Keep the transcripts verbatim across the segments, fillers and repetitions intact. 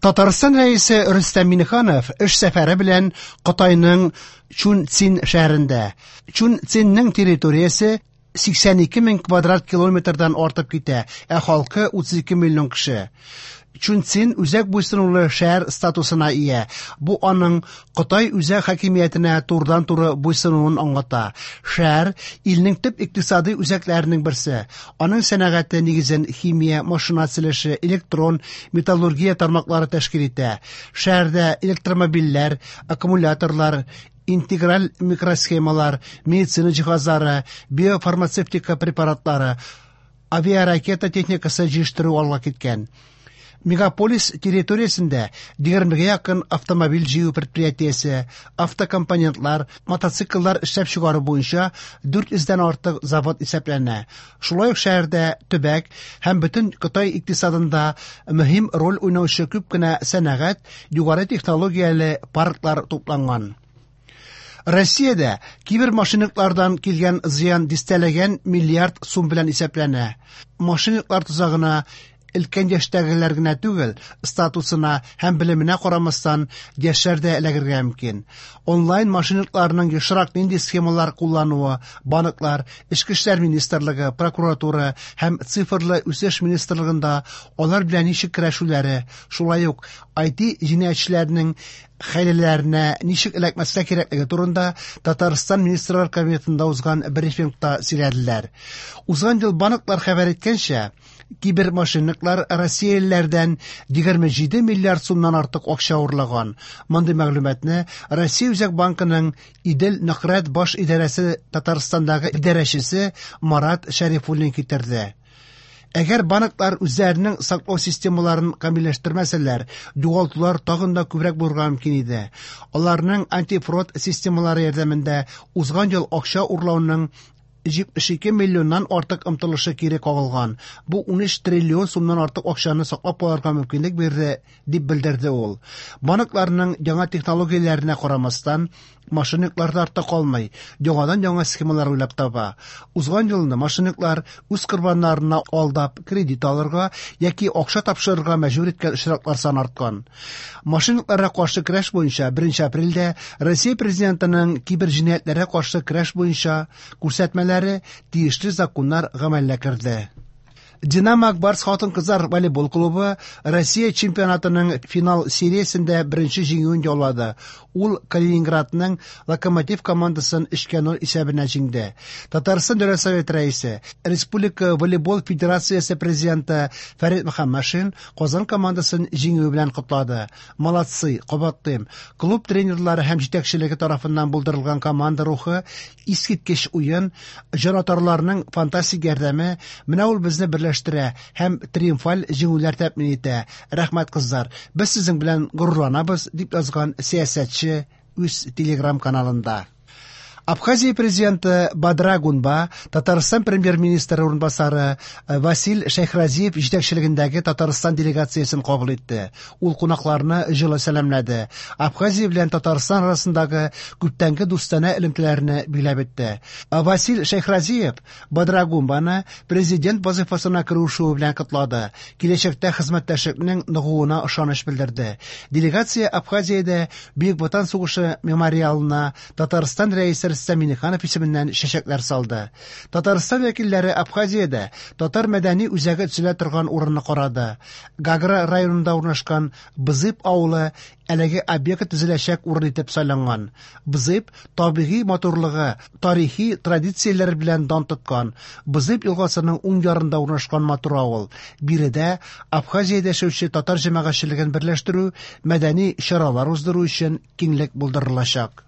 Татарстан Рәисе Рөстәм Миңнеханов эш сәфәре белән Кытайның Чунцин шәһәрендә. Чунцинның территориясе сиксән ике мең квадрат километрдан артып китә, ә халкы утыз ике миллион кеше. Чунцин үзәк буйсынулы шәһәр статусына ия. Бу аның Кытай үзәк хакимиятенә турыдан-туры буйсынуын аңлата. Шәһәр илнең төп икътисади үзәкләренең берсе. Аның сәнәгате нигезен химия, машина төзелеше, электрон, металлургия тармаклары тәшкил итә. Шәһәрдә электромобильләр, аккумуляторлар, интеграль микросхемалар, медицина җиһазлары, биофармацевтика препаратлары, авиаракета техникасы җитештерү алга киткән. Мегаполис территориясендә егермегә якын автомобиль җыю предприятиесе, автокомпонентлар, мотоцикллар эшләп чыгару буенча дүрт йөздән артык завод исәпләнә. Шулай ук шәһәрдә төбәк һәм бөтен Кытай икътисадында мөһим роль уйнаучы күп кенә сәнәгать, югары технологияле парклар тупланган. Россиядә кибермошенниклардан килгән зыян дистәләгән миллиард сум белән исәпләнә. Мошенниклар тозагына өлкән яшьтәгеләр генә түгел, статусына һәм белеменә карамастан яшьләр дә эләгергә мөмкин. Онлайн мошенникларның ешрак нинди схемалар куллануы, банклар, Эчке эшләр министрлыгы, прокуратура һәм цифрлы үсеш министрлыгында алар белән ничек көрәшүләре, шулай ук ай ти җинаятьчеләренең хәйләләренә ничек эләкмәскә кирәклеге турында Татарстан Министрлар Кабинетында узган брифингта сөйләделәр. Узган ел банклар хәбәр иткәнчә, кибермошенниклар россиялеләрдән егерме җиде миллиард сумнан артык акча урлаган. Мондый мәгълүматны Россия Үзәк банкының Идел Нөхрәт баш идарәсе Татарстандагы идарәчесе Марат Шәрифуллин китерде. Әгәр банклар үзләренең саклау системаларын камилләштермәсәләр, югалтулар тагын да күбрәк булырга мөмкин иде. Аларның антифрод системалары ярдәмендә узган ел акча урлауның җитмеш ике миллионнан артык омтылышы кире кагылган. Бу ун өч триллион сумнан артык акчаны саклап калырга мөмкинлек бирде, дип белдерде ул. Банкларның яңа технологияләренә карамастан, мошенниклар да артта калмый, яңадан яңа схемалар уйлап таба. Узган елны мошенниклар үз корбаннарына алдап кредит алырга яки акча тапшырырга мәҗбүр иткән очраклар саны арткан. Мошенникларга каршы көрәш буенча беренче апрельдә Россия президентының кибер җинаятьләргә каршы көрәш буенча күрсәтмәләре тиешле законнар гамәлгә керде. Динамо Акбарс хатын-кызлар волейбол клубы Россия чемпионатының финал сериясендә беренче җиңүен яулады. Ул Калининградның Локомотив командасын өчкә ноль исәбенә җиңде. Татарстан Дәүләт Советы рәисе, Республика волейбол федерациясе президенты Фәрит Мөхәммәтшин Казан командасын җиңүе белән котлады. Молодцы, кабатлыйм. Клуб тренерлары һәм җитәкчелеге тарафыннан булдырылган команда рухы, искиткеч уен, җанатарларның фантастик ярдәме, менә ул безне берләштерә һәм триумфаль җиңүләр тәэмин итә. Рәхмәт, кызлар, без сезнең белән горурланабыз, дип язган сәясәтче үз телеграм каналында. Абхазия президенты Бадра Гунба, Татарстан премьер-министры урынбасары Василь Шәйхразиев җитәкчелегендәге Татарстан делегациясен кабул итте. Ул кунакларны җылы сәламләде. Абхазия белән Татарстан арасындагы күптәнге дустанә элемтәләрне биләп итте. Василь Шәйхразиев Бадра Гунбаны президент вазифасына керү белән котлады. Киләчәктә хезмәттәшлекнең ныгуына ышаныч белдерде. Делегация Абхазиядә Бөек Ватан сугышы мемориалына Татарстан рәисе Рөстәм Миңнеханов исеменнән чәчәкләр салды. Татарстан вәкилләре Абхазиядә татар мәдәни үзәге төзелә торган урынны карады. Гагра районында урнашкан Бзып авылы әлеге объект төзеләчәк урын итеп сайланган. Бзып табигый матурлыгы, тарихи традицияләр белән дан тоткан. Бзып елгасының уң ярында урнашкан матур авыл. Биредә Абхазиядә яшәүче татар җәмәгатьчелеген берләштерү, мәдәни чаралар уздыру өчен киңлек булдырылачак.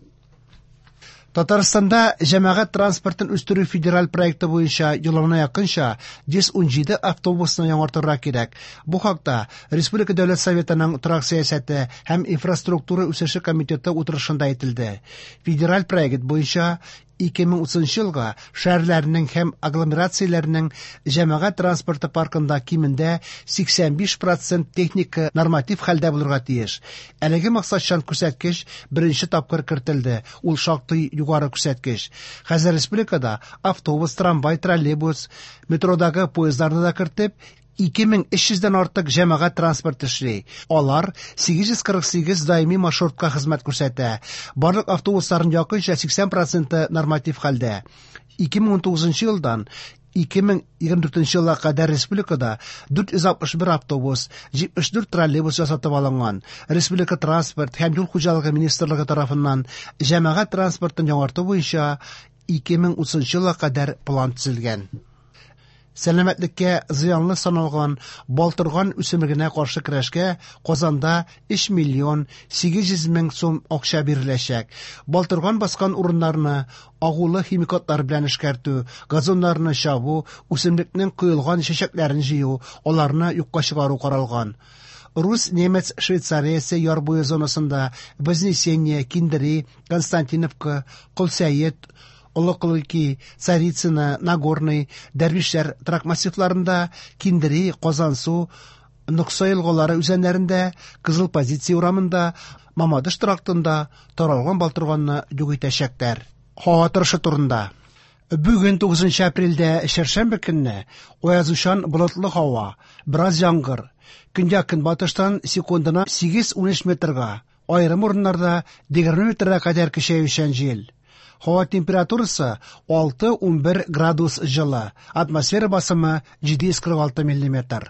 Татарстанда җәмәгать транспортын үстерү федераль проекты буенча елына якынча йөз ун җиде автобусны яңартырга кирәк. Бу хакта Республика Дәүләт Советының торак сәясәте һәм инфраструктура үсеше комитеты утырышында әйтелде. Федераль проект буенча ике мең утызынчы елга шәһәрләрнең һәм агломерацияләрнең җәмәгать транспорты паркында кимендә сиксән биш процент техника норматив хәлдә булырга тиеш. Әлеге максатчан күрсәткеч беренче тапкыр кертелде. Ул шактый югары күрсәткеч. Хәзер республикада автобус, трамвай, троллейбус, метродагы поездларны да кертеп, ике мең өч йөздән артык җәмәгать транспорты эшли. Алар сигез йөз кырык сигез даими маршрутка хезмәт күрсәтә. Барлык автобусларның якынча сиксән проценты норматив хәлдә. ике мең унтугызынчы елдан ике мең егерме дүртенче елга кадәр республикада дүрт йөз алтмыш бер автобус, җитмеш дүрт троллейбус ясатып алынган. Республика транспорт һәм юл хуҗалыгы министрлыгы тарафыннан җәмәгать транспортын яңарту буенча ике мең утызынчы елга кадәр план төзелгән. Сәламәтлеккә зыянлы саналган балтырган үсемлегенә каршы көрәшкә Казанда өч миллион сигез йөз мең сум акча биреләчәк. Балтырган баскан урыннарны агулы химикатлар белән эшкәртү, газоннарны чабу, үсемлекнең коелган чәчәкләрен җыю, аларны юкка чыгару каралган. Рус немец Швейцариясе яр буе зонасында Вознесение, Киндери, Константиновка, Колсәет, Олыколыки, Царицына, Нагорный, Дәрвишләр торак массивларында, Киндери, Казансу, Нокса елгалары үзәннәрендә, Кызыл позиция урамында, Мамадыш трактында таралган балтырганны юк итәчәкләр. Һава торышы турында. Бүген тугызынчы апрельдә чәршәмбе көнне аязучан болытлы һава, бераз яңгыр. Көньяк-көнбатыштан секундына сигез-унөч метрга, аерым урыннарда егерме метрга кадәр көчәючән җил. Һава температурасы алты-унбер градус җылы, атмосфера басымы җиде йөз кырык алты миллиметр.